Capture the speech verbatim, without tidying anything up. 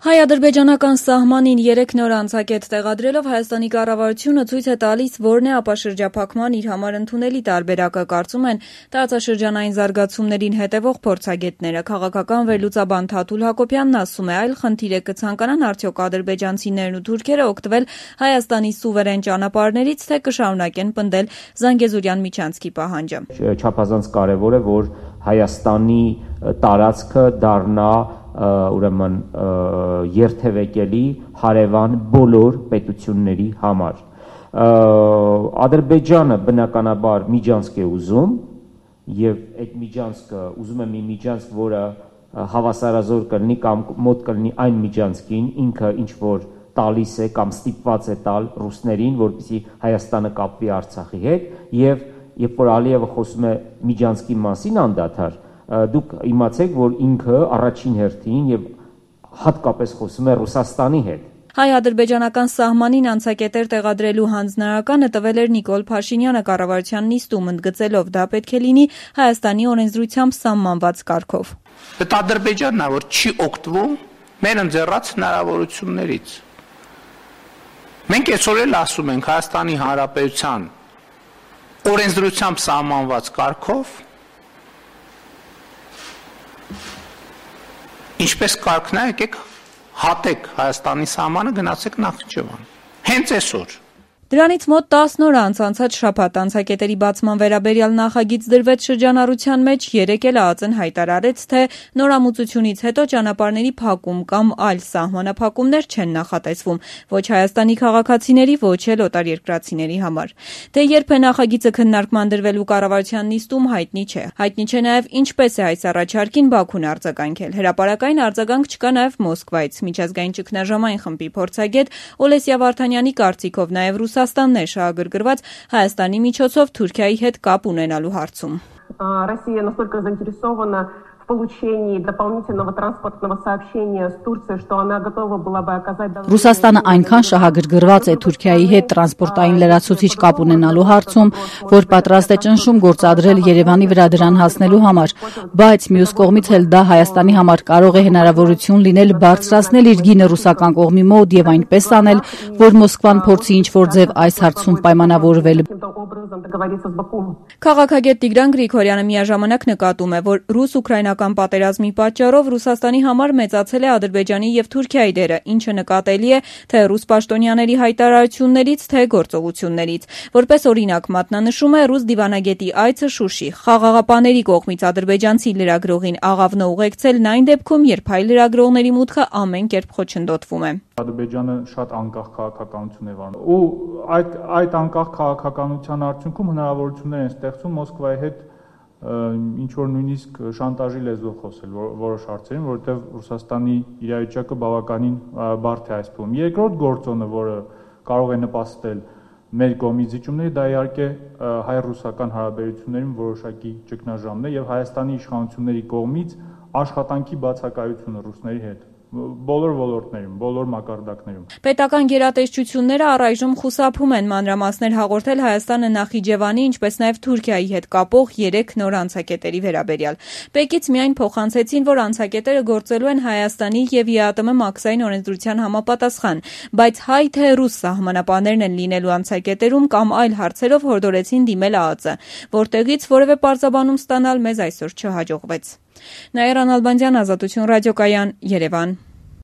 Հայ-ադրբեջանական սահմանին երեք նոր անցակետ տեղադրելով Հայաստանի կառավարությունը ցույց է տալիս, որն է ապաշրջափակման իր համար ընդունելի տարբերակը, կարծում են տարածաշրջանային զարգացումներին հետևող փորձագետները։ Քաղաքական վերլուծաբան Թաթուլ Հակոբյանն ասում է, այլ խնդիր է կցանկանան արդյոք ադրբեջանցիներն ու թուրքերը օգտվել Հայաստանի սուվերեն ճանապարհներից, թե կշարունակեն պնդել Զանգեզուրյան միջանցքի պահանջը։ Չափազանց կարևոր է, որ Հայաստանի տարածքը դառնա ուրեմն երթևեկելի հարևան բոլոր պետությունների համար։ Ադրբեջանը բնականաբար միջանցք է ուզում եւ այդ միջանցքը ուզում է մի միջանցք, որը հավասարազոր կլինի կամ մոտ կլինի այն միջանցքին, ինքը ինչ որ տալիս է կամ ստիպված է տալ ռուսներին, որպեսզի Հայաստանը կապվի Արցախի հետ, եւ երբ որ Ալիևը խոսում է միջանցքի մասին անդադար, դուք իմացեք, որ ինքը առաջին հերթին եւ հատկապես խոսում է Ռուսաստանի հետ։ Հայ-ադրբեջանական սահմանին անցակետեր տեղադրելու հանձնարարականը տվել էր Նիկոլ Փաշինյանը կառավարության նիստում, ընդգծելով դա պետք է լինի Հայաստանի օրենսդրությամբ սահմանված կարգով։ Այդ Ադրբեջանն է, որ չի օգտվում մեր ընձեռած հնարավորություններից։ Մենք այսօր էլ ասում ենք Հայաստանի Հանրապետության օրենսդրությամբ սահմանված կարգով ինչպես կարգն է, եկեք հատեք Հայաստանի սահմանը, գնացեք Նախիջևան։ Հենց այսօր։ Դրանից մոտ տասն օր անց անցած շաբաթ անցակետերի բացման վերաբերյալ նախագիծ դրվեց շրջանառության մեջ, երեկ էլ ԱԱԾ-ն հայտարարեց, թե նորամուծությունից հետո ճանապարհների փակում կամ այլ սահմանափակումներ չեն նախատեսվում ոչ Հայաստանի քաղաքացիների, ոչ էլ օտարերկրացիների համար։ Դե երբ է նախագիծը քննարկման դրվելու կառավարության նիստում, հայտնի չէ։ Հայտնի չէ նաև ինչպես է այս առաջարկին Բաքուն արձագանքել։ Հրապարակային արձագանք չկա նաև Մոսկվայից։ Միջազգային ճգնաժամային խմբի փորձագետ Օլեսիա Վարդանյանի կարծիքով նաև Ռուսաստանն է շահագրգռված Հայաստանի միջոցով Թուրքիայի հետ կապ ունենալու հարցում։ Россия настолько заинтересована в получении дополнительного транспортного сообщения с Турцией, что она готова была бы оказать Ռուսաստանը այնքան շահագրգռված է Թուրքիայի հետ տրանսպորտային լրացուցիչ կապ ունենալու հարցում, որ պատրաստ է ճնշում գործադրել Երևանի վրա դրան հասնելու համար, բայց մյուս կողմից էլ դա Հայաստանի համար կարող է հնարավորություն լինել բարձրացնել իր գինը ռուսական կողմի մոտ եւ այնպես անել, որ Մոսկվան փորձի ինչ-որ ձև այս հարցում պայմանավորվել։ Քաղաքագետ Տիգրան Գրիգորյանը միաժամանակ նկատում է, որ ռուս-ուկրաինական պատերազմի պատճառով Ռուսաստանի համար մեծացել է Ադրբեջանի եւ Թուրքիայի դերը, ինչը նկատելի է թե ռուս պաշտոնյաների հայտարարություններից, թե գործողություններից։ Որպես օրինակ մատնանշում է ռուս դիվանագետի այցը Շուշի։ Խաղաղապաների կողմից ադրբեջանցի լրագրողին աղավնը ուղեկցելն այն դեպքում, երբ հայ լրագրողների մուտքը ամեն կերպ խոչընդոտվում է։ Ադրբեջանը շատ անկախ քաղաքականություն է վարում։ Ու այդ այդ անկախ քաղաքականության արդյունքում հնարավորություններ են ստեղծում Մոսկվայի հետ ինչ որ նույնիսկ շանտաժի լեզվով խոսել որոշ հարցերին, որովհետև Ռուսաստանի իրավիճակը բավականին բարդ է այս փուլում։ Երկրորդ գործոնը, որը կարող է նպաստել մեր կողմի զիջումների, դա իհարկե հայ-ռուսական հարաբերություններում որոշակի ճգնաժամն է եւ Հայաստանի իշխանությունների կողմից աշխատանքի բացակայությունը ռուսների հետ բոլոր ոլորտներում, բոլոր մակարդակներում։ Պետական գերատեսչությունները առայժմ խուսափում են մանրամասներ հաղորդել Հայաստանը Նախիջևանի, ինչպես նաև Թուրքիայի հետ կապող երեք նոր անցակետերի վերաբերյալ։ Պեկից միայն փոխանցեցին, որ անցակետերը գործելու են Հայաստանի եւ ԵԱՏՄ մաքսային օրենսդրության համապատասխան, բայց հայ թե ռուս սահմանապահներն են լինելու անցակետերում կամ այլ հարցերով հորդորեցին դիմել ԱԱԾ, որտեղից որևէ պարզաբանում ստանալ մեզ այսօր չհաջողվեց։ Նաիրա Նալբանդյան, Ազատություն ռադիոկայան, Երևան։